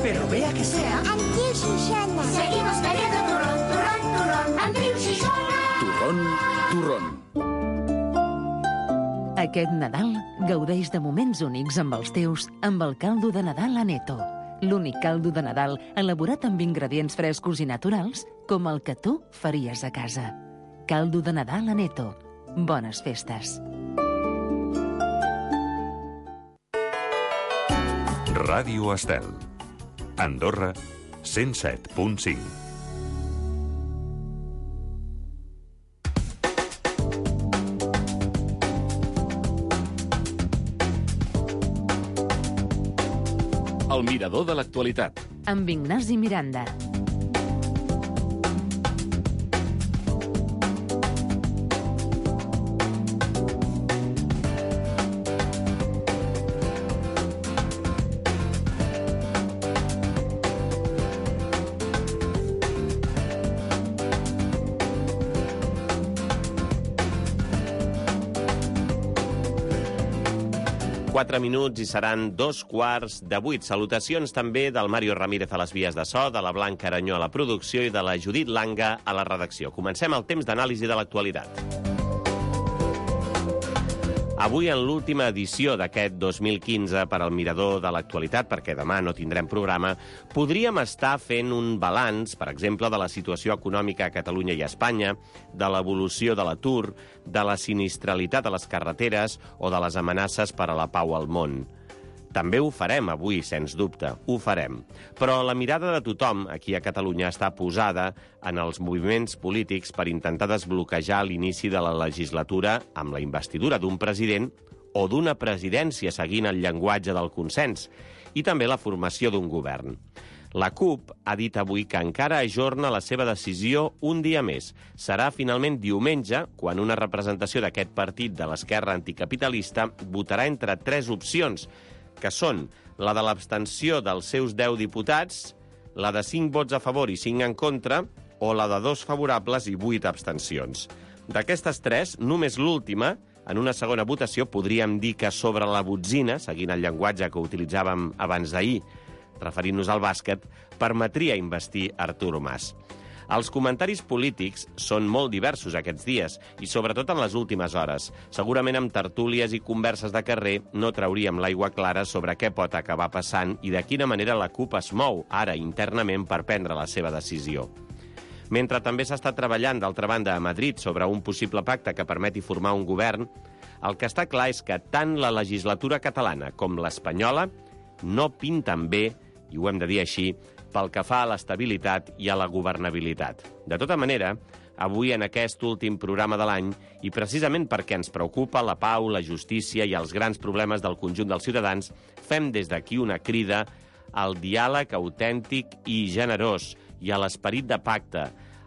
pero vea que sea amb Triu Xixona. Seguimos bebiendo turrón, turrón, turrón, amb Triu Xixona. turrón, turrón. Aquest Nadal gaudeix de moments únics amb els teus amb el caldo de Nadal Aneto. L'únic caldo de Nadal elaborat amb ingredients frescos i naturals com el que tu faries a casa. Caldo de Nadal Aneto. Bones festes. Ràdio Estel. Andorra, 107.5. El mirador de l'actualitat. Amb Ignasi Miranda. Quatre minuts i seran 2:15. Salutacions també del Mario Ramírez a les vies de so, de la Blanca Aranyó a la producció i de la Judit Langa a la redacció. Comencem el temps d'anàlisi de l'actualitat. Avui, en l'última edició d'aquest 2015 per al Mirador de l'actualitat, perquè demà no tindrem programa, podríem estar fent un balanç, per exemple, de la situació econòmica a Catalunya i a Espanya, de l'evolució de l'atur, de la sinistralitat a les carreteres o de les amenaces per a la pau al món. També ho farem avui, sens dubte, ho farem. Però la mirada de tothom aquí a Catalunya està posada en els moviments polítics per intentar desbloquejar l'inici de la legislatura amb la investidura d'un president o d'una presidència seguint el llenguatge del consens i també la formació d'un govern. La CUP ha dit avui que encara ajorna la seva decisió un dia més. Serà finalment diumenge quan una representació d'aquest partit de l'esquerra anticapitalista votarà entre tres opcions, que són la de l'abstenció dels seus 10 diputats, la de 5 vots a favor i 5 en contra, o la de 2 favorables i 8 abstencions. D'aquestes tres, només l'última, en una segona votació, podríem dir que sobre la botzina, seguint el llenguatge que utilitzàvem abans d'ahir, referint-nos al bàsquet, permetria investir Artur Mas. Els comentaris polítics són molt diversos aquests dies, i sobretot en les últimes hores. Segurament amb tertúlies i converses de carrer no trauríem l'aigua clara sobre què pot acabar passant i de quina manera la CUP es mou ara internament per prendre la seva decisió. Mentre també s'està treballant, d'altra banda, a Madrid sobre un possible pacte que permeti formar un govern, el que està clar és que tant la legislatura catalana com l'espanyola no pinten bé, i ho hem de dir així, pel que fa a l'estabilitat i a la governabilitat. De tota manera, avui en aquest últim programa de l'any, i precisament perquè ens preocupa la pau, la justícia i els grans problemes del conjunt dels ciutadans, fem des d'aquí una crida al diàleg autèntic i generós i a l'esperit de pacte,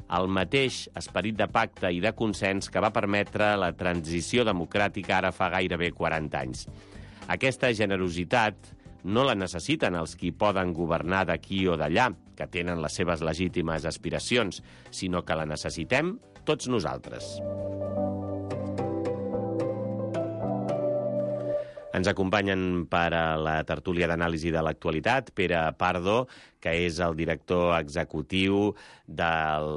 el mateix esperit de pacte i de consens que va permetre la transició democràtica ara fa gairebé 40 anys. Aquesta generositat no la necessiten els qui poden governar d'aquí o d'allà, que tenen les seves legítimes aspiracions, sinó que la necessitem tots nosaltres. Ens acompanyen per a la tertúlia d'anàlisi de l'actualitat Pere Pardo, que és el director executiu de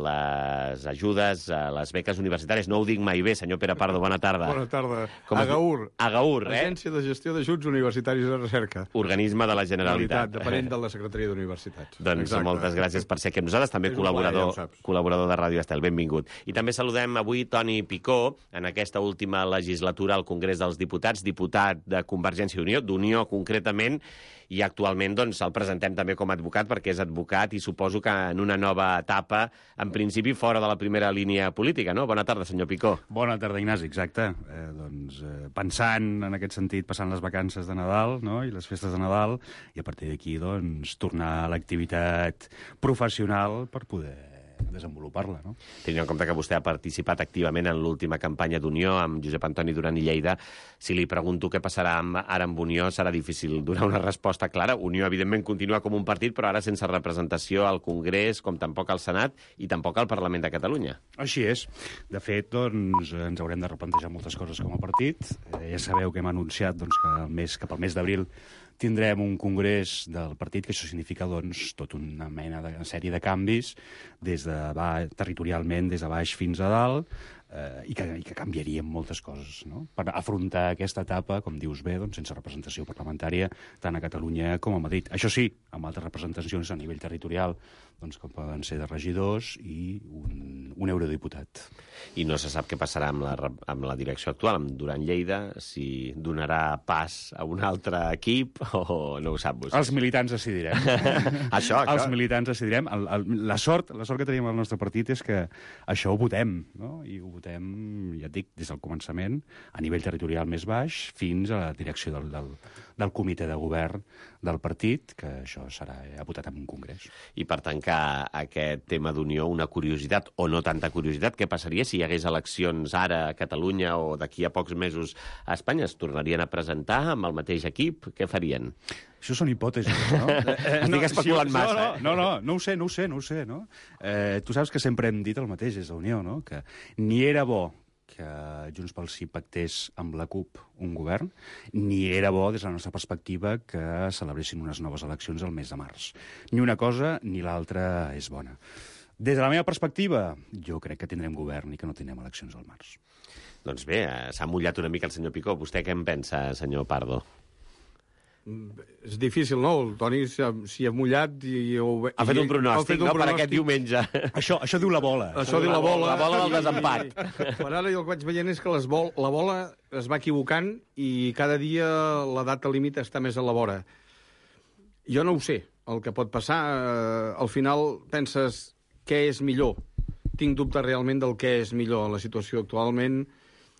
les ajudes a les beques universitàries. No ho dic mai bé, senyor Pere Pardo, bona tarda. Bona tarda. Agaur. Agaur, Agència de Gestió d'Ajuts Universitaris de Recerca. Organisme de la Generalitat. Depenent de la Secretaria d'Universitats. Doncs exacte. Moltes gràcies per ser aquí amb nosaltres. També col·laborador de Ràdio Estel. Benvingut. I també saludem avui Toni Picó, en aquesta última legislatura al Congrés dels Diputats, diputat de Convergència i Unió, d'Unió concretament, i actualment doncs, el presentem també com a advocat perquè és advocat i suposo que en una nova etapa, en principi fora de la primera línia política, no? Bona tarda, senyor Picó. Bona tarda, Ignasi, exacte. Pensant en aquest sentit, passant les vacances de Nadal, no?, i les festes de Nadal, i a partir d'aquí doncs, tornar a l'activitat professional per poder desenvolupar-la, no? Tenint en compte que vostè ha participat activament en l'última campanya d'Unió amb Josep Antoni Duran i Lleida, si li pregunto què passarà ara amb Unió, serà difícil donar una resposta clara. Unió, evidentment, continua com un partit, però ara sense representació al Congrés, com tampoc al Senat i tampoc al Parlament de Catalunya. Així és. De fet, doncs, ens haurem de replantejar moltes coses com a partit. Ja sabeu que hem anunciat doncs, que cap al mes d'abril tindrem un congrés del partit, que això significa doncs, tota una sèrie de canvis territorialment, des de baix fins a dalt, i que canviarien moltes coses, no? Per afrontar aquesta etapa, com dius bé, doncs, sense representació parlamentària tant a Catalunya com a Madrid. Això sí, amb altres representacions a nivell territorial, doncs, com poden ser de regidors i un eurodiputat. I no se sap què passarà amb la direcció actual, amb Duran Lleida, si donarà pas a un altre equip o no ho sap vostè. Els militants decidirem. Això. Els militants decidirem. La sort que tenim al nostre partit és que això ho votem, no? I ho votem, ja et dic, des del començament, a nivell territorial més baix, fins a la direcció del comitè de govern del partit, que això serà votat en un congrés. I per tancar aquest tema d'unió, una curiositat, o no tanta curiositat, què passaria si hi hagués eleccions ara a Catalunya o d'aquí a pocs mesos a Espanya? Es tornarien a presentar amb el mateix equip? Què farien? Això són hipòtesis, no? Estic especulant massa. No ho sé, no? Tu saps que sempre hem dit el mateix des d'Unió, no? Que ni era bo que Junts pel Sí pactés amb la CUP un govern, ni era bo, des de la nostra perspectiva, que celebressin unes noves eleccions el mes de març. Ni una cosa ni l'altra és bona. Des de la meva perspectiva, jo crec que tindrem govern i que no tindrem eleccions al març. Doncs bé, s'ha mullat una mica el senyor Picó. Vostè què en pensa, senyor Pardo? És difícil, no? El Toni s'hi ha mullat i... Ha fet un pronòstic, no?, per aquest diumenge. Això diu la bola. Això diu la bola. La bola del desempat. Per ara jo el que vaig veient és que la bola es va equivocant i cada dia la data límit està més a la vora. Jo no ho sé, el que pot passar. Al final penses què és millor. Tinc dubte realment del què és millor. La situació actualment,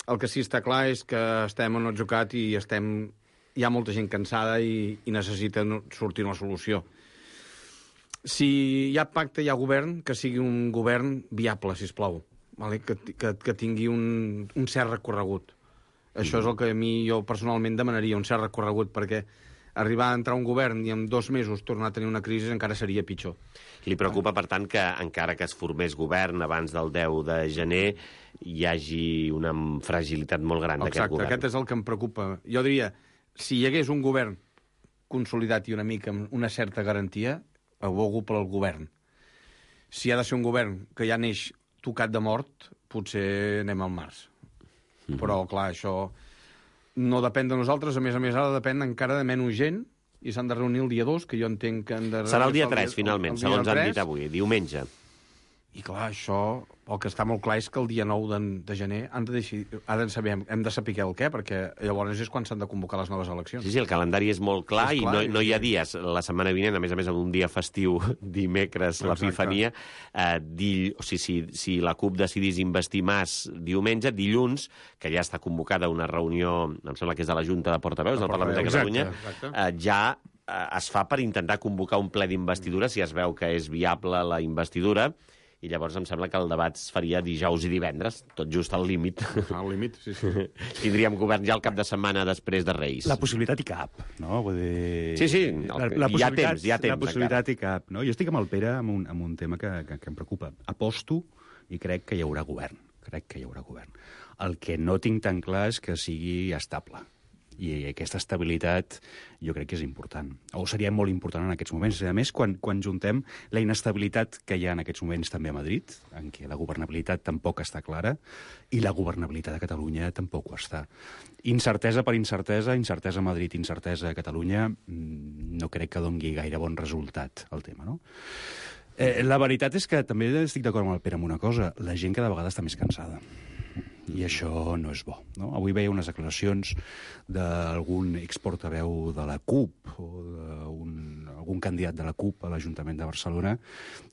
el que sí està clar és que estem en atzucac i hi ha molta gent cansada i necessita sortir una solució. Si hi ha pacte, hi ha govern, que sigui un govern viable, sisplau, vale? Que tingui un cert recorregut. Això és el que a mi jo personalment demanaria, un cert recorregut, perquè arribar a entrar un govern i en 2 mesos tornar a tenir una crisi encara seria pitjor. Li preocupa, per tant, que encara que es formés govern abans del 10 de gener hi hagi una fragilitat molt gran d'aquest govern? Exacte, aquest és el que em preocupa. Jo diria, si hi hagués un govern consolidat i una mica amb una certa garantia, abogo pel govern. Si ha de ser un govern que ja neix tocat de mort, potser anem al març. Però, clar, això no depèn de nosaltres. A més, ara depèn encara de menys gent i s'han de reunir el dia 2, que jo entenc que han de... Serà el dia 3, finalment, segons han dit avui, diumenge. I clar, això, el que està molt clar és que el dia 9 de gener hem de saber el què, perquè llavors és quan s'han de convocar les noves eleccions. Sí, el calendari és molt clar i no hi ha dies. La setmana vinent, a més amb un dia festiu, dimecres, l'Epifania, si la CUP decidís investir Mas diumenge, dilluns, que ja està convocada una reunió, em sembla que és de la Junta de Portaveus del Parlament de Catalunya, ja es fa per intentar convocar un ple d'investidura, si es veu que és viable la investidura, i llavors em sembla que el debat es faria dijous i divendres, tot just al límit. Al límit, sí. Tindríem govern ja el cap de setmana després de Reis. La possibilitat hi cap, no? Vull dir... Sí, hi ha temps. La possibilitat hi cap, no? Jo estic amb el Pere amb un tema que em preocupa. Aposto i crec que hi haurà govern. El que no tinc tan clar és que sigui estable. I aquesta estabilitat jo crec que és important, o seria molt important en aquests moments. A més, quan juntem la inestabilitat que hi ha en aquests moments també a Madrid, en què la governabilitat tampoc està clara, i la governabilitat a Catalunya tampoc ho està. Incertesa per incertesa a Madrid, incertesa a Catalunya, no crec que doni gaire bon resultat el tema, no? La veritat és que també estic d'acord amb el Pere amb una cosa, la gent cada vegada està més cansada. I això no és bo, no? Avui veia unes declaracions d'algun exportaveu de la CUP o d'algun candidat de la CUP a l'Ajuntament de Barcelona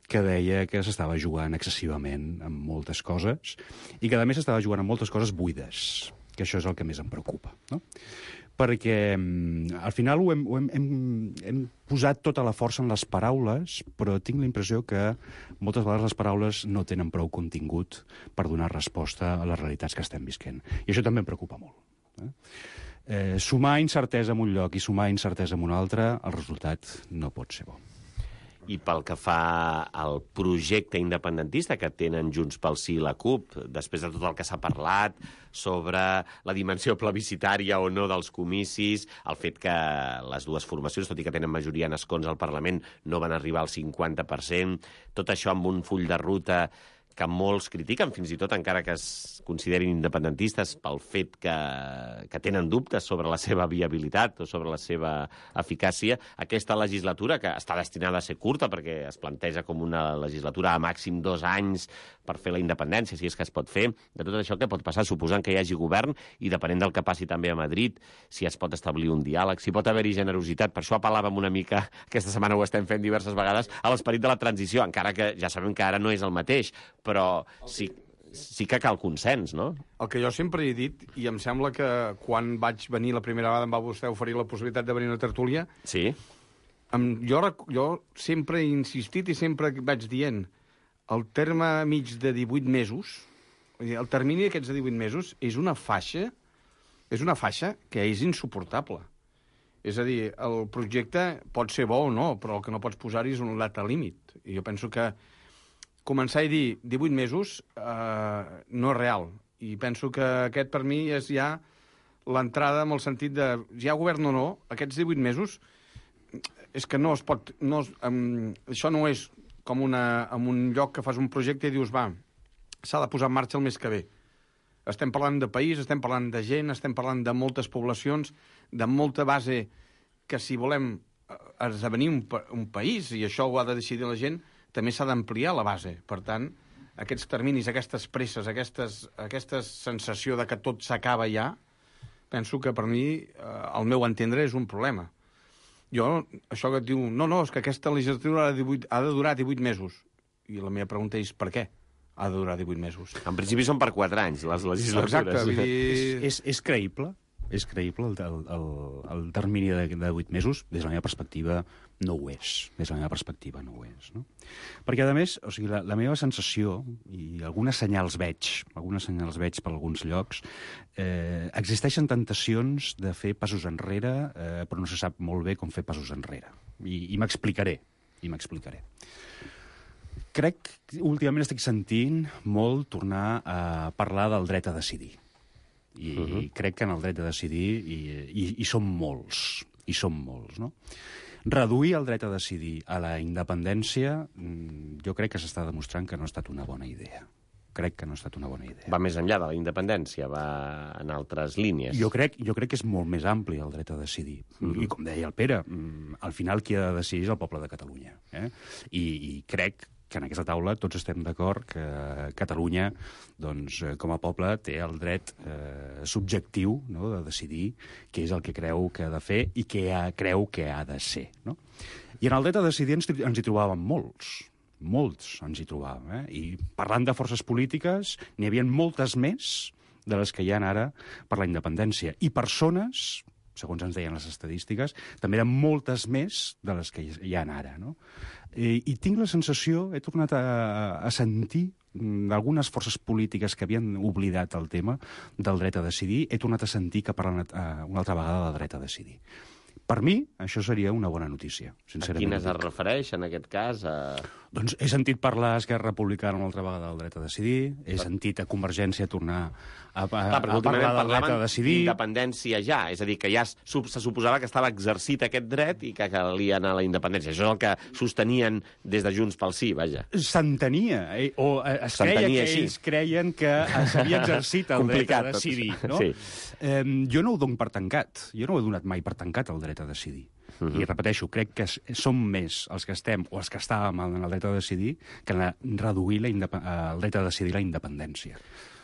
que deia que s'estava jugant excessivament amb moltes coses i que, a més, s'estava jugant amb moltes coses buides, que això és el que més em preocupa, no? Perquè al final hem posat tota la força en les paraules, però tinc la impressió que moltes vegades les paraules no tenen prou contingut per donar resposta a les realitats que estem visquent. I això també em preocupa molt. Sumar incertesa en un lloc i sumar incertesa en un altre, el resultat no pot ser bo. I pel que fa al projecte independentista que tenen Junts pel Sí i la CUP, després de tot el que s'ha parlat sobre la dimensió plebiscitària o no dels comicis, el fet que les dues formacions, tot i que tenen majoria en escons al Parlament, no van arribar al 50%, tot això amb un full de ruta que molts critiquen, fins i tot encara que es considerin independentistes pel fet que tenen dubtes sobre la seva viabilitat o sobre la seva eficàcia. Aquesta legislatura, que està destinada a ser curta perquè es planteja com una legislatura a màxim 2 anys per fer la independència, si és que es pot fer, de tot això què pot passar? Suposant que hi hagi govern i depenent del que passi també a Madrid, si es pot establir un diàleg, si pot haver-hi generositat. Per això apel·làvem una mica, aquesta setmana ho estem fent diverses vegades, a l'esperit de la transició, encara que ja sabem que ara no és el mateix, però sí que cal consens, no? El que jo sempre he dit, i em sembla que quan vaig venir la primera vegada em va vostè oferir la possibilitat de venir a una tertúlia, Sí. jo sempre he insistit i sempre vaig dient el terme mig de 18 mesos, el termini d'aquests de 18 mesos és una faixa que és insuportable. És a dir, el projecte pot ser bo o no, però el que no pots posar-hi és un data límit. I jo penso que començar a dir 18 mesos no és real. I penso que aquest, per mi, és ja l'entrada amb el sentit de, ja govern o no, aquests 18 mesos, és que no es pot... això no és com en un lloc que fas un projecte i dius, va, s'ha de posar en marxa el mes que ve. Estem parlant de país, estem parlant de gent, estem parlant de moltes poblacions, de molta base que si volem esdevenir un país, i això ho ha de decidir la gent, també s'ha d'ampliar la base. Per tant, aquests terminis, aquestes presses, aquesta sensació de que tot s'acaba ja, penso que per mi, al meu entendre, és un problema. Jo, això que et diu, no, és que aquesta legislatura ha de durar 18 mesos. I la meva pregunta és, per què ha de durar 18 mesos? En principi són per 4 anys, les legislatures. Exacte, vull dir... És creïble? És creïble el termini de 8 mesos? Des de la meva perspectiva no ho és. Des de la meva perspectiva no ho és. No? Perquè, a més, o sigui, la meva sensació, i algunes senyals veig per alguns llocs, existeixen tentacions de fer passos enrere, però no se sap molt bé com fer passos enrere. I m'explicaré. Crec que últimament estic sentint molt tornar a parlar del dret a decidir. I crec que en el dret a decidir hi som molts, no? Reduir el dret a decidir a la independència jo crec que s'està demostrant que no ha estat una bona idea. Va més enllà de la independència, va en altres línies. Jo crec que és molt més ampli el dret a decidir. I com deia el Pere, al final qui ha de decidir és el poble de Catalunya. I crec que en aquesta taula tots estem d'acord que Catalunya, doncs, com a poble, té el dret subjectiu, no?, de decidir què és el que creu que ha de fer i què creu que ha de ser. No? I en el dret a decidir ens hi trobàvem molts ens hi trobàvem. I parlant de forces polítiques, n'hi havia moltes més de les que hi ha ara per la independència. I persones, segons ens deien les estadístiques, també eren moltes més de les que hi ha ara, no? I tinc la sensació, he tornat a sentir d'algunes forces polítiques que havien oblidat el tema del dret a decidir, he tornat a sentir que parlen una altra vegada del dret a decidir. Per mi, això seria una bona notícia, sincerament. A quines es refereix, en aquest cas? Doncs he sentit parlar a Esquerra Republicana una altra vegada del dret a decidir, he sentit a Convergència tornar a parlar del dret a decidir. Independència ja, és a dir, que ja se suposava que estava exercit aquest dret i que calia anar a la independència. Això és el que sostenien des de Junts pel Sí, vaja. S'entenia, o es creia que ells creien que s'havia exercit el dret a decidir. No? Sí. Jo no ho dono per tancat, jo no ho he donat mai per tancat el dret a decidir. I repeteixo, crec que som més els que estem o els que estàvem en el dret a decidir que en reduir el dret a decidir la independència.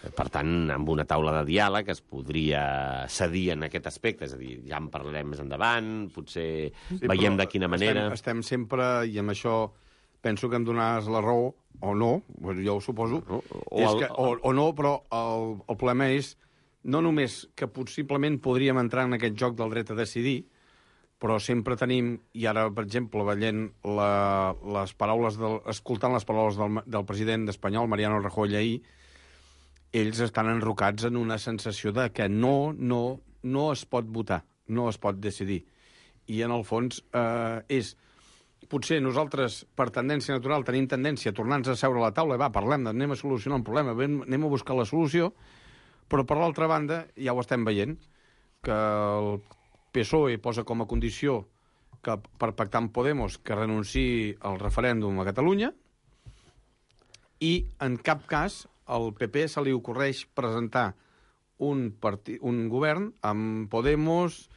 Per tant, amb una taula de diàleg es podria cedir en aquest aspecte, és a dir, ja en parlarem més endavant, potser veiem de quina manera... Estem sempre, i amb això penso que em donaràs la raó, o no, jo ho suposo, o no, però el problema és no només que possiblement podríem entrar en aquest joc del dret a decidir, però sempre tenim, i ara, per exemple, veient escoltant les paraules del president espanyol, Mariano Rajoy, ahir, ells estan enrocats en una sensació de que no es pot votar, no es pot decidir. I, en el fons, és potser nosaltres, per tendència natural, tenim tendència a tornar-nos a seure a la taula, parlem, anem a solucionar un problema, anem a buscar la solució, però per l'altra banda, ja ho estem veient, que el PSOE posa com a condició que per pactar amb Podemos que renunciï al referèndum a Catalunya, i en cap cas al PP se li ocorreix presentar un govern amb Podemos,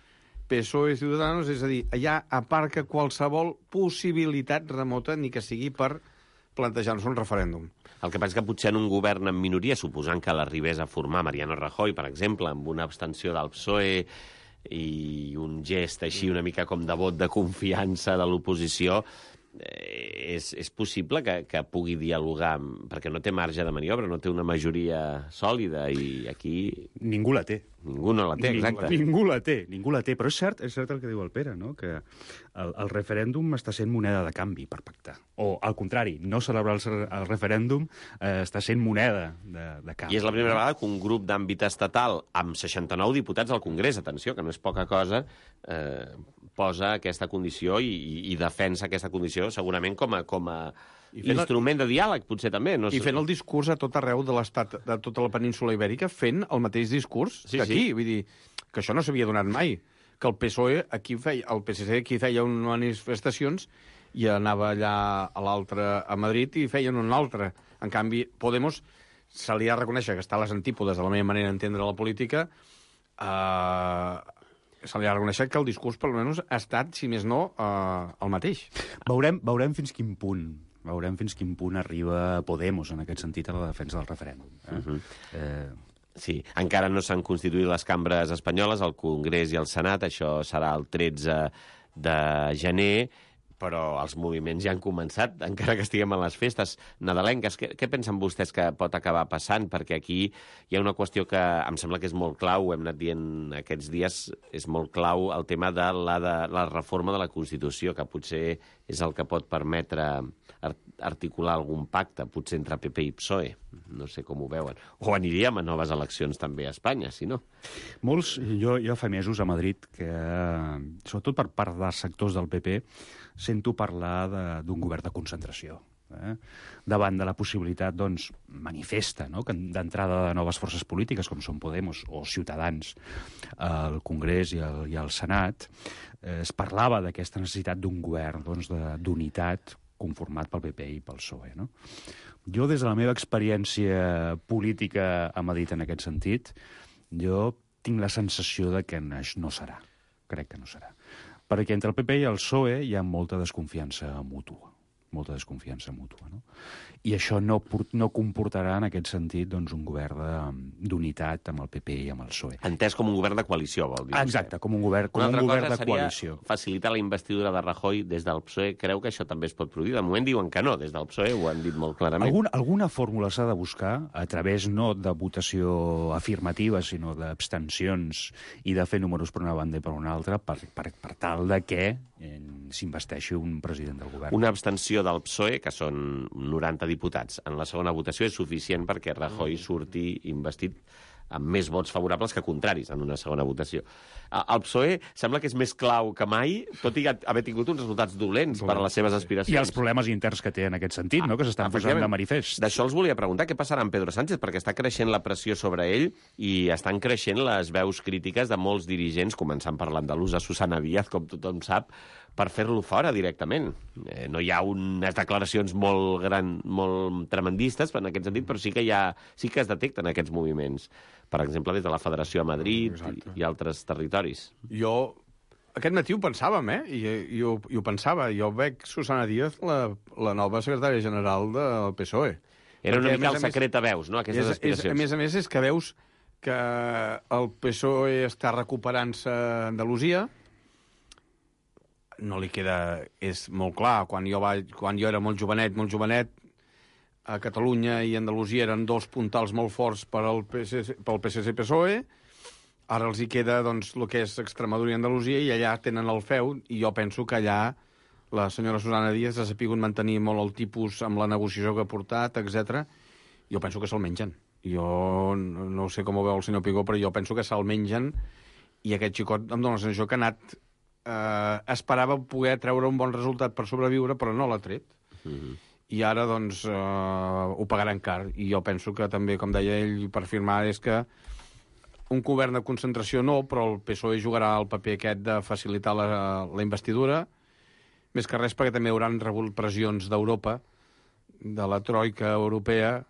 PSOE i Ciudadanos, és a dir, allà aparca qualsevol possibilitat remota, ni que sigui per plantejar-nos un referèndum. El que passa és que potser en un govern en minoria, suposant que l'arribés a formar Mariano Rajoy, per exemple, amb una abstenció del PSOE i un gest així una mica com de vot de confiança de l'oposició, és possible que pugui dialogar, perquè no té marge de maniobra, no té una majoria sòlida, i aquí... Ningú la té. Ningú no la té, exacte. Ningú la té, però és cert el que diu el Pere, no? Que el referèndum està sent moneda de canvi per pactar. O, al contrari, no celebrar el referèndum està sent moneda de canvi. I és la primera vegada que un grup d'àmbit estatal, amb 69 diputats al Congrés, atenció, que no és poca cosa, posa aquesta condició i defensa aquesta condició segurament com a instrument de diàleg, potser també. No sé. I fent el discurs a tot arreu de l'estat, de tota la península ibèrica, fent el mateix discurs que aquí. Sí. Vull dir, que això no s'havia donat mai. Que el PSOE aquí el PSC aquí feia unes manifestacions i anava allà a l'altre, a Madrid, i feien una altra. En canvi, Podemos se li ha de reconèixer que està a les antípodes de la meva manera d'entendre la política, se li ha de reconèixer que el discurs, per almenys, ha estat, si més no, el mateix. Veurem fins quin punt arriba Podemos, en aquest sentit, a la defensa del referèndum. Sí, encara no s'han constituït les cambres espanyoles, el Congrés i el Senat, això serà el 13 de gener, però els moviments ja han començat, encara que estiguem a les festes nadalenques. Què pensen vostès que pot acabar passant? Perquè aquí hi ha una qüestió que em sembla que és molt clau, ho hem anat dient aquests dies, és molt clau el tema de la reforma de la Constitució, que potser és el que pot permetre articular algun pacte, potser entre PP i PSOE. No sé com ho veuen. O aniríem a noves eleccions també a Espanya, si no. Molts, jo fa mesos a Madrid, que sobretot per part dels sectors del PP, sento parlar d'un govern de concentració. Davant de la possibilitat, doncs, manifesta, no?, d'entrada de noves forces polítiques, com són Podemos o Ciutadans, al Congrés i al Senat, es parlava d'aquesta necessitat d'un govern, doncs, d'unitat conformat pel PP i pel PSOE, no? Jo, des de la meva experiència política a Madrid en aquest sentit, jo tinc la sensació de que no serà. Crec que no serà. Perquè entre el PP i el PSOE hi ha molta desconfiança mútua. No? I això no comportarà, en aquest sentit, doncs, un govern d'unitat amb el PP i amb el PSOE. Entès com un govern de coalició, vol dir. Exacte, com un govern de coalició. Una altra cosa seria facilitar la investidura de Rajoy des del PSOE. Creu que això també es pot produir? De moment diuen que no, des del PSOE ho han dit molt clarament. Alguna fòrmula s'ha de buscar, a través no de votació afirmativa, sinó d'abstencions i de fer números per una banda i per una altra, per tal de que s'investeixi un president del govern. Una abstenció del PSOE, que són 90 diputats, en la segona votació és suficient perquè Rajoy surti investit amb més vots favorables que contraris en una segona votació. El PSOE sembla que és més clau que mai, tot i haver tingut uns resultats dolents per a les seves aspiracions. I els problemes interns que té en aquest sentit, no?, que s'estan posant de manifest. D'això els volia preguntar, què passarà amb Pedro Sánchez? Perquè està creixent la pressió sobre ell i estan creixent les veus crítiques de molts dirigents, començant per l'andalusa Susana Díaz, com tothom sap, per fer-lo fora directament. No hi ha unes declaracions molt tremendistes en aquest sentit, però sí que es detecten aquests moviments. Per exemple, des de la Federació a Madrid i altres territoris. Jo aquest matí ho pensàvem, I ho pensava. Jo veig Susana Díaz, la nova secretària general del PSOE. Era una mica el secret a veus, no?, aquestes aspiracions. A més, és que veus que el PSOE està recuperant-se a Andalusia. No li queda... És molt clar, quan jo era molt jovenet, a Catalunya i Andalusia eren dos puntals molt forts pel PSC-PSOE. Ara els hi queda, doncs, el que és Extremadura i Andalusia, i allà tenen el feu, i jo penso que allà la senyora Susana Díaz ha sapigut mantenir molt el tipus amb la negociació que ha portat, etc. Jo penso que se'l mengen. Jo no sé com ho veu el senyor Pigó, però jo penso que se'l mengen, i aquest xicot em dóna la sensació que ha anat esperava poder treure un bon resultat per sobreviure, però no l'ha tret. I ara, doncs, ho pagaran car. I jo penso que també, com deia ell, per firmar, és que un govern de concentració no, però el PSOE jugarà el paper aquest de facilitar la investidura, més que res perquè també hauran rebut pressions d'Europa, de la troika europea,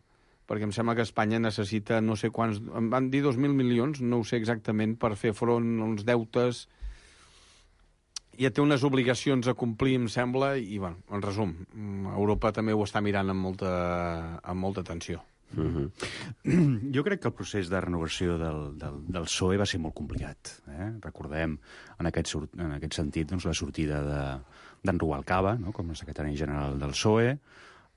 perquè em sembla que Espanya necessita no sé quants... Em van dir 2.000 milions, no ho sé exactament, per fer front als deutes. Ja té unes obligacions a complir, em sembla, i, bueno, en resum, Europa també ho està mirant amb molta atenció. Jo crec que el procés de renovació del PSOE va ser molt complicat. Recordem, en aquest sentit, doncs, la sortida d'en Rubalcaba, no?, com a secretari general del PSOE,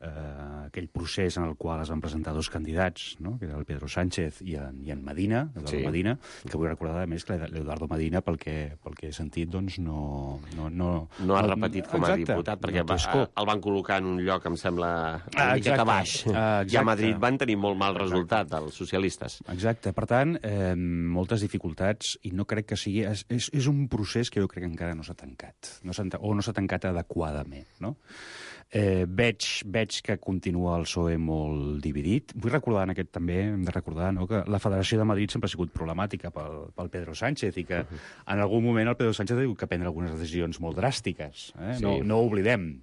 aquell procés en el qual es van presentar dos candidats, no?, que era el Pedro Sánchez i en Medina, Eduardo Medina, que vull recordar, a més, que l'Eduardo Medina, pel que he sentit, doncs no ha repetit com a diputat, perquè el van col·locar en un lloc, em sembla, una miqueta baix. I a Madrid van tenir molt mal resultat, els socialistes. Exacte. Per tant, moltes dificultats, i no crec que sigui... És un procés que jo crec que encara no s'ha tancat, o no s'ha tancat adequadament, no? Veig que continua el PSOE molt dividit. Vull recordar també, hem de recordar, no?, que la Federació de Madrid sempre ha sigut problemàtica pel Pedro Sánchez i que en algun moment el Pedro Sánchez ha hagut que prendre algunes decisions molt dràstiques. Sí. No ho oblidem.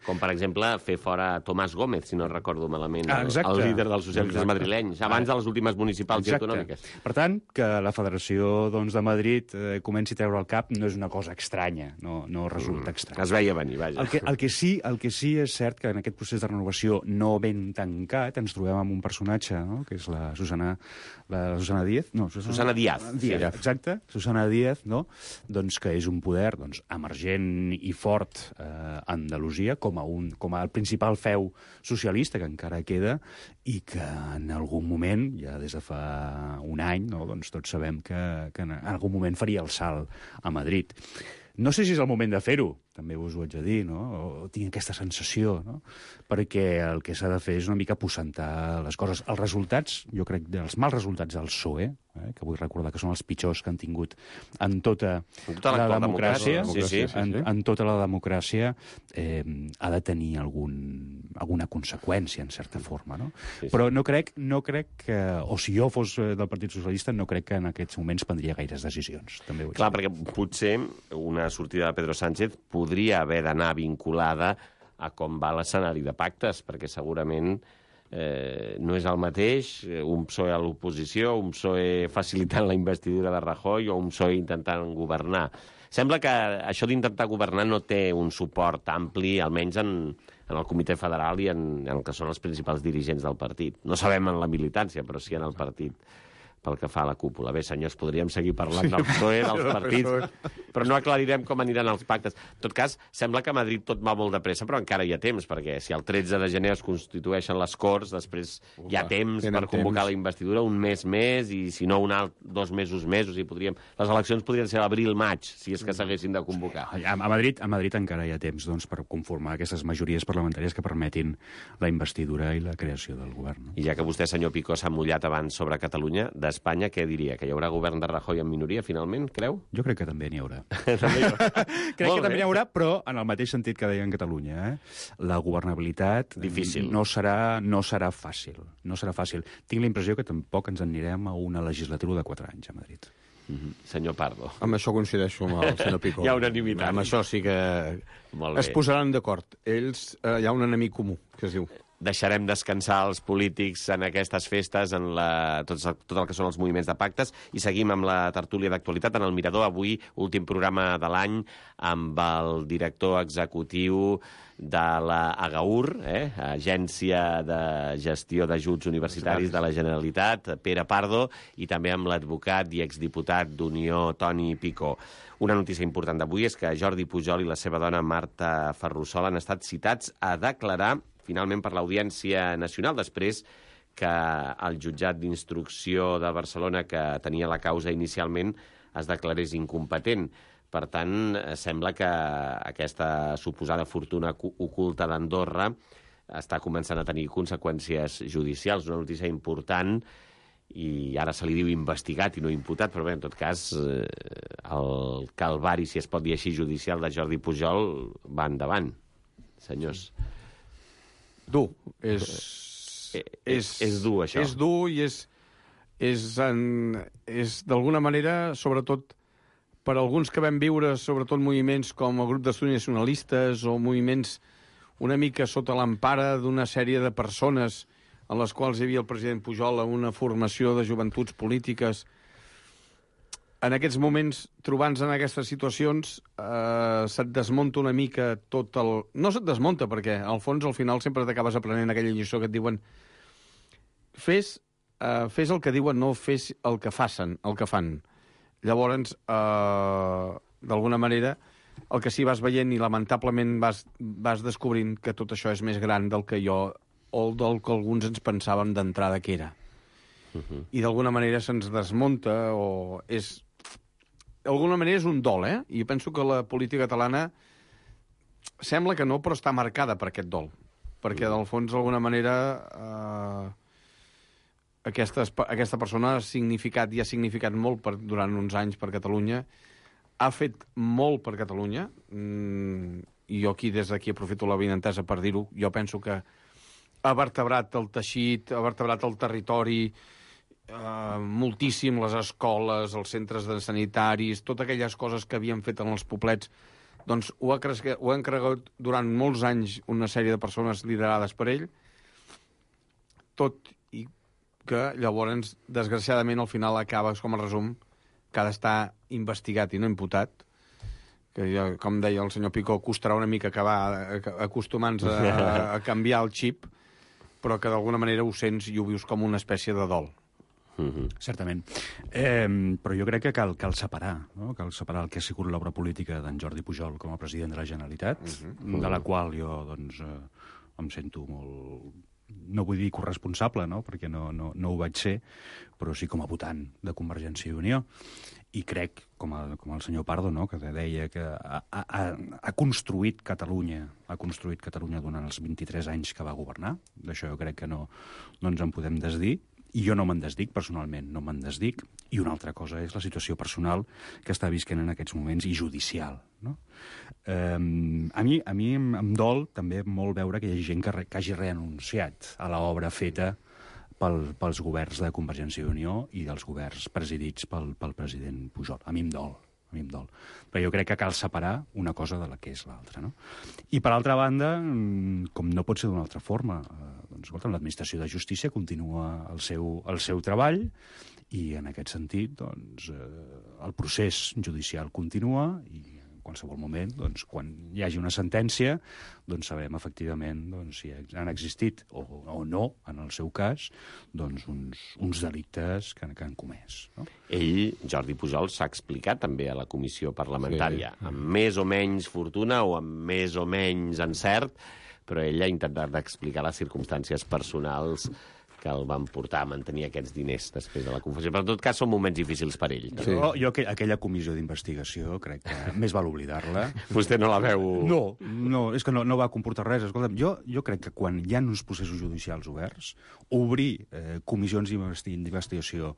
Com, per exemple, fer fora Tomàs Gómez, si no recordo malament, el líder dels socialistes madrilenys, abans de les últimes municipals i autonòmiques. Per tant, que la Federació de Madrid comenci a treure el cap no és una cosa estranya, no resulta estrany. Es veia venir, vaja. El que sí és cert que en aquest procés de renovació no ben tancat ens trobem amb un personatge, no?, que és la Susana Díaz. No, Susana Díaz. Exacte, Susana Díaz, no?, doncs que és un poder emergent i fort a Andalusia com el principal feu socialista que encara queda i que en algun moment, ja des de fa un any, no?, doncs tots sabem que en algun moment faria el salt a Madrid. No sé si és el moment de fer-ho, també us ho haig de dir, no?, o tinc aquesta sensació, no?, perquè el que s'ha de fer és una mica aposentar les coses. Els resultats, jo crec, els mals resultats del PSOE, que vull recordar que són els pitjors que han tingut en tota la democràcia, en tota la democràcia, ha de tenir alguna conseqüència, en certa forma, no? Però no crec que, o si jo fos del Partit Socialista, no crec que en aquests moments prendria gaires decisions. Clar, perquè potser una sortida de Pedro Sánchez podria haver d'anar vinculada a com va l'escenari de pactes, perquè segurament no és el mateix un PSOE a l'oposició, un PSOE facilitant la investidura de Rajoy o un PSOE intentant governar. Sembla que això d'intentar governar no té un suport ampli, almenys en el Comitè Federal i en el que són els principals dirigents del partit. No sabem en la militància, però sí en el partit, pel que fa a la cúpula. Bé, senyors, podríem seguir parlant del PSOE, dels partits, però no aclarirem com aniran els pactes. En tot cas, sembla que a Madrid tot va molt de pressa, però encara hi ha temps, perquè si el 13 de gener es constitueixen les Corts, després hi ha temps per convocar la investidura, un mes més, i si no, 2 mesos més, o sigui, les eleccions podrien ser l'abril-maig, si és que s'haguessin de convocar. A Madrid encara hi ha temps, doncs, per conformar aquestes majories parlamentàries que permetin la investidura i la creació del govern. I ja que vostè, senyor Picó, s'ha mullat abans sobre Catalunya, d'Espanya, què diria? Que hi haurà govern de Rajoy en minoria, finalment, creu? Jo crec que també n'hi haurà. Crec que també n'hi haurà, però en el mateix sentit que deia en Catalunya. La governabilitat difícil. No serà fàcil. No serà fàcil. Tinc la impressió que tampoc ens anirem a una legislatura de 4 anys a Madrid. Senyor Pardo. Amb això coincideixo amb el senyor Picó. Hi ha unanimitat. Amb això sí que es posaran d'acord. Ells, hi ha un enemic comú, que es diu... Deixarem descansar els polítics en aquestes festes, en tot el que són els moviments de pactes, i seguim amb la tertúlia d'actualitat en el Mirador. Avui, últim programa de l'any, amb el director executiu de la AGAUR, Agència de Gestió d'Ajuts Universitaris de la Generalitat, Pere Pardo, i també amb l'advocat i exdiputat d'Unió, Toni Picó. Una notícia important d'avui és que Jordi Pujol i la seva dona Marta Ferrussol han estat citats a declarar finalment per l'Audiència Nacional, després que el jutjat d'instrucció de Barcelona, que tenia la causa inicialment, es declarés incompetent. Per tant, sembla que aquesta suposada fortuna oculta d'Andorra està començant a tenir conseqüències judicials. Una notícia important i ara se li diu investigat i no imputat, però bé, en tot cas, el calvari, si es pot dir així, judicial de Jordi Pujol va endavant, senyors. Dur. És dur, això. És dur i és d'alguna manera, sobretot, per alguns que vam viure, sobretot moviments com el grup d'estudis nacionalistes o moviments una mica sota l'empara d'una sèrie de persones en les quals hi havia el president Pujol a una formació de joventuts polítiques. En aquests moments, trobant-se en aquestes situacions, se't desmunta una mica tot el... No se't desmunta, perquè al fons, al final, sempre t'acabes aprenent aquella lliçó que et diuen fes el que diuen, no fes el que fan. Llavors, d'alguna manera, el que sí vas veient i lamentablement vas descobrint que tot això és més gran del que jo o del que alguns ens pensàvem d'entrada que era. I d'alguna manera se'ns desmunta o és... D'alguna manera és un dol, I penso que la política catalana sembla que no, però està marcada per aquest dol. Perquè, del fons, d'alguna manera, aquesta persona ha significat i ha significat molt durant uns anys per Catalunya, ha fet molt per Catalunya, i jo aquí, des d'aquí, aprofito la benentesa per dir-ho. Jo penso que ha vertebrat el teixit, ha vertebrat el territori, moltíssim les escoles, els centres de sanitaris, totes aquelles coses que havien fet en els poblets, doncs ho ha encarregat durant molts anys una sèrie de persones liderades per ell, tot i que llavors, desgraciadament, al final acabes, com a resum, que ha d'estar investigat i no imputat, que ja, com deia el senyor Picó, costarà una mica acabar acostumant-se a canviar el xip, però que d'alguna manera ho sents i ho vius com una espècie de dol. Certament. Però jo crec que cal separar, no? Cal separar el que ha sigut l'obra política d'en Jordi Pujol com a president de la Generalitat, de la qual jo doncs, em sento molt... No vull dir corresponsable, no? Perquè no ho vaig ser, però sí com a votant de Convergència i Unió. I crec, com el senyor Pardo, no? Que deia que ha construït Catalunya durant els 23 anys que va governar. D'això jo crec que no ens en podem desdir. I jo no me'n desdic, personalment, no me'n desdic. I una altra cosa és la situació personal que està visquent en aquests moments i judicial, no? A mi em dol també molt veure que hi hagi gent que hagi renunciat a l'obra feta pels governs de Convergència i Unió i dels governs presidits pel president Pujol. A mi em dol. Però jo crec que cal separar una cosa de la que és l'altra, no? I, per altra banda, com no pot ser d'una altra forma, doncs, escolta, l'administració de justícia continua el seu treball i, en aquest sentit, doncs, el procés judicial continua i, en qualsevol moment, doncs, quan hi hagi una sentència, doncs sabem, efectivament, doncs, si han existit o no, en el seu cas, doncs, uns delictes que han comès, no? Ell, Jordi Pujol, s'ha explicat també a la comissió parlamentària, amb més o menys fortuna o amb més o menys encert, però ell ha intentat explicar les circumstàncies personals que el van portar a mantenir aquests diners després de la confessió. Però, en tot cas, són moments difícils per ell. Sí. Jo aquella comissió d'investigació, crec que més val oblidar-la. Vostè no la veu... No, és que no va comportar res. Escolta'm, jo crec que quan hi ha uns processos judicials oberts, obrir comissions d'investigació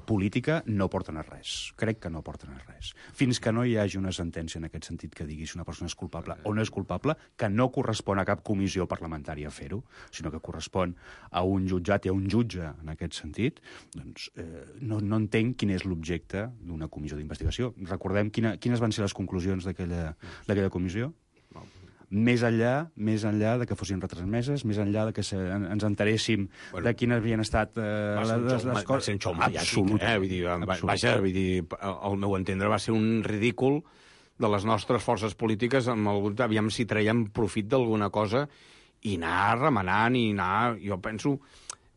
política no porten a res. Crec que no porten a res. Fins que no hi hagi una sentència en aquest sentit que digui si una persona és culpable o no és culpable, que no correspon a cap comissió parlamentària fer-ho, sinó que correspon a un jutjat i a un jutge en aquest sentit, doncs no entenc quin és l'objecte d'una comissió d'investigació. Recordem quines van ser les conclusions d'aquella comissió? Més enllà de que fossin retransmeses, més enllà de que ens enteréssim de quines havien estat les coses... Va ser un xou mediàtic, Vaja, vull dir, al meu entendre va ser un ridícul de les nostres forces polítiques, aviam si traiem profit d'alguna cosa i anar remenant i anar... Jo penso...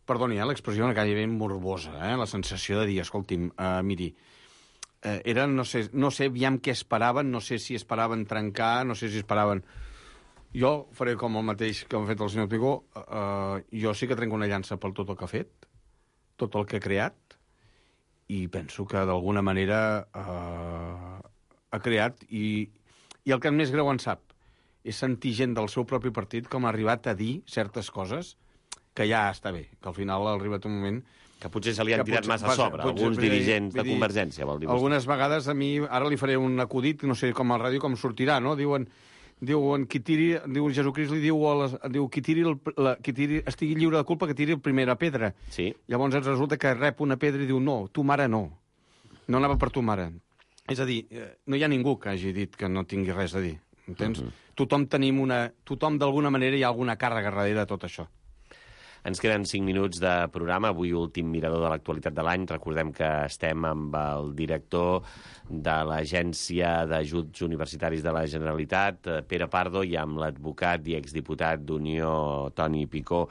Perdoni, l'expressió una gairebé morbosa, la sensació de dir, escolti'm, miri, no sé aviam què esperaven, no sé si esperaven trencar, no sé si esperaven... Jo faré com el mateix que ha fet el senyor Picó. Jo sí que trenco una llança per tot el que ha fet, tot el que ha creat, i penso que d'alguna manera ha creat, i el que més greu en sap és sentir gent del seu propi partit com ha arribat a dir certes coses que ja està bé, que al final ha arribat un moment Que potser se li han Que tirat potser- massa a sobre, potser- alguns dirigents de vull dir, Convergència, vol dir vostè. Algunes vegades a mi, ara li faré un acudit, no sé com a la ràdio com sortirà, no? Diuen qui tiri, diu Jesucrist li diu, diu qui tiri, estigui lliure de culpa que tiri la primera pedra. Sí. Llavors ens resulta que rep una pedra i diu no, tu mare no. No anava per tu mare. És a dir, no hi ha ningú que hagi dit que no tingui res a dir. Entens? Tothom d'alguna manera hi ha alguna càrrega darrere de tot això. Ens queden 5 minuts de programa, avui últim mirador de l'actualitat de l'any. Recordem que estem amb el director de l'Agència d'Ajuts Universitaris de la Generalitat, Pere Pardo, i amb l'advocat i exdiputat d'Unió, Toni Picó.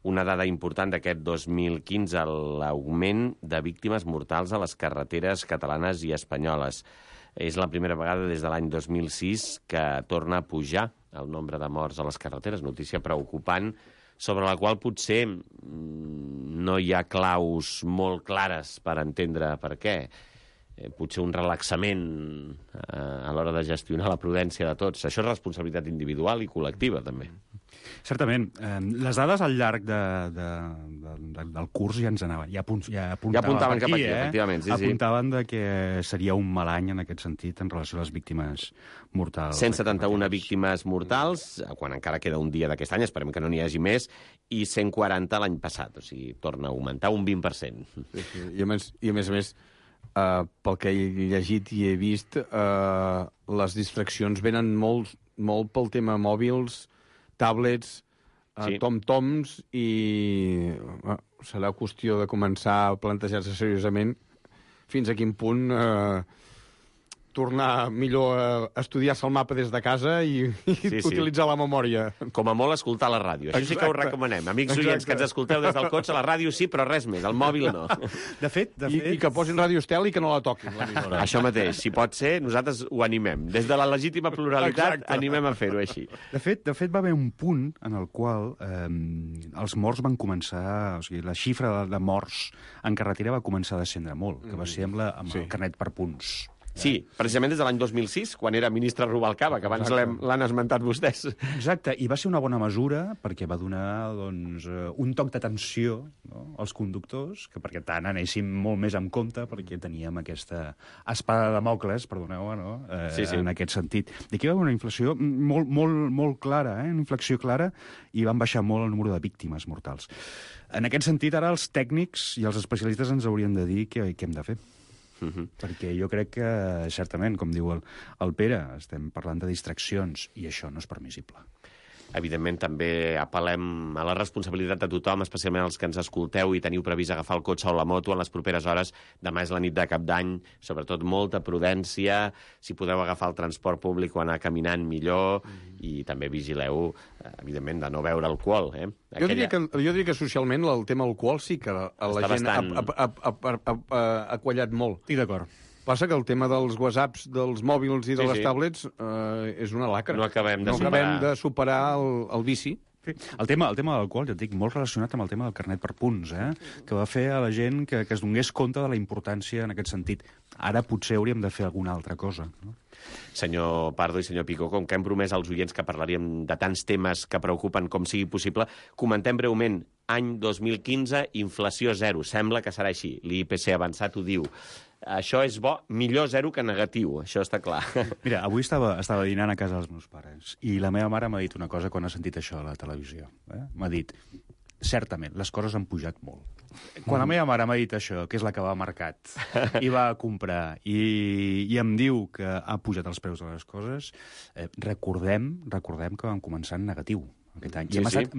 Una dada important d'aquest 2015, l'augment de víctimes mortals a les carreteres catalanes i espanyoles. És la primera vegada des de l'any 2006 que torna a pujar el nombre de morts a les carreteres, notícia preocupant, sobre la qual potser no hi ha claus molt clares per entendre per què. Potser un relaxament a l'hora de gestionar la prudència de tots. Això és responsabilitat individual i col·lectiva, també. Certament. Les dades al llarg del curs ja ens anaven. Ja apuntaven cap aquí, efectivament. Sí, apuntaven de que seria un mal any en aquest sentit en relació a les víctimes mortals. 171 víctimes mortals, quan encara queda un dia d'aquest any, esperem que no n'hi hagi més, i 140 l'any passat. O sigui, torna a augmentar un 20%. Sí. I a més, pel que he llegit i he vist, les distraccions venen molt pel tema mòbils, tablets, Sí. tom-toms, i serà qüestió de començar a plantejar-se seriosament fins a quin punt tornar millor a estudiar-se el mapa des de casa i utilitzar la memòria. Com a molt escoltar la ràdio. Això sí que ho recomanem. Amics oients que ens escolteu des del cotxe, la ràdio sí, però res més, el mòbil no. De fet... I que posin Ràdio Estel i que no la toquin, l'emissora. Això mateix, si pot ser, nosaltres ho animem. Des de la legítima pluralitat animem a fer-ho així. De fet, va haver un punt en el qual els morts van començar... O sigui, la xifra de morts en carretera va començar a descendre molt, que va ser amb el carnet per punts. Sí, precisament des de l'any 2006, quan era ministre Rubalcaba, que abans l'han esmentat vostès. Exacte, i va ser una bona mesura perquè va donar un toc d'atenció, no, als conductors, que perquè tant anéssim molt més en compte, perquè teníem aquesta espada de Damocles, perdoneu, no? En aquest sentit. I aquí va haver una inflació molt clara, una inflexió clara, i van baixar molt el número de víctimes mortals. En aquest sentit, ara els tècnics i els especialistes ens haurien de dir què hem de fer. Perquè jo crec que, certament, com diu el Pere, estem parlant de distraccions i això no és permissible. Evidentment, també apel·lem a la responsabilitat de tothom, especialment els que ens escolteu i teniu previst agafar el cotxe o la moto en les properes hores. Demà és la nit de Cap d'Any, sobretot molta prudència. Si podeu agafar el transport públic o anar caminant, millor. I també vigileu, evidentment, de no beure alcohol. Jo diria que socialment el tema alcohol sí que la gent ha quallat molt. Estic d'acord. Passa que el tema dels whatsapps, dels mòbils i de les tablets és una lacra. No acabem de superar el vici. Sí. El tema de l'alcohol, ja et dic, molt relacionat amb el tema del carnet per punts, que va fer a la gent que es donés compte de la importància en aquest sentit. Ara potser hauríem de fer alguna altra cosa, no? Senyor Pardo i senyor Picó, com que hem promès als oients que parlaríem de tants temes que preocupen com sigui possible, comentem breument. Any 2015, inflació zero. Sembla que serà així. L'IPC avançat ho diu. Això és bo, millor zero que negatiu, això està clar. Mira, avui estava dinant a casa dels meus pares i la meva mare m'ha dit una cosa quan ha sentit això a la televisió. M'ha dit, certament, les coses han pujat molt. Quan la meva mare m'ha dit això, que és la que va al mercat i va a comprar i em diu que ha pujat els preus de les coses, recordem que vam començar en negatiu aquest any. I hem estat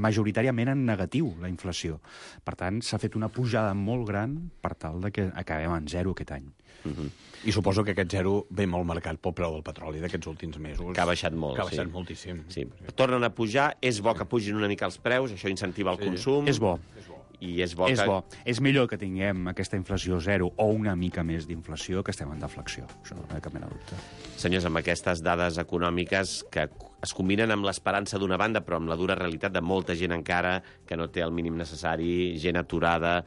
majoritàriament en negatiu, la inflació. Per tant, s'ha fet una pujada molt gran per tal de que acabem en zero aquest any. I suposo que aquest zero ve molt marcat pel preu del petroli d'aquests últims mesos. Que ha baixat molt, Que ha baixat moltíssim. Sí. Tornen a pujar, és bo que pugin una mica els preus, això incentiva el consum. És bo. I és bo És millor que tinguem aquesta inflació zero o una mica més d'inflació que estem en deflació. Això no hi ha cap mena de dubte. Senyors, amb aquestes dades econòmiques que es combinen amb l'esperança d'una banda, però amb la dura realitat de molta gent encara que no té el mínim necessari, gent aturada,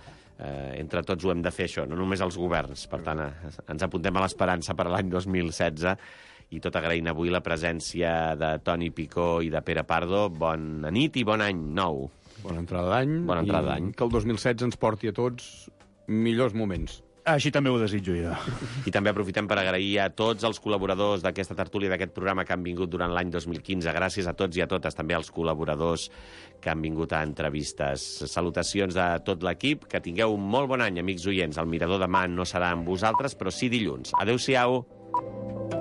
entre tots ho hem de fer això, no només els governs. Per tant, ens apuntem a l'esperança per a l'any 2016 i tot agraint avui la presència de Toni Picó i de Pere Pardo. Bona nit i bon any nou. Bona entrada d'any. Bona entrada d'any. I que el 2016 ens porti a tots millors moments. Així també ho desitjo jo. I també aprofitem per agrair a tots els col·laboradors d'aquesta tertúlia, d'aquest programa que han vingut durant l'any 2015. Gràcies a tots i a totes, també als col·laboradors que han vingut a entrevistes. Salutacions de tot l'equip. Que tingueu un molt bon any, amics oients. El Mirador demà no serà amb vosaltres, però sí dilluns. Adéu-siau.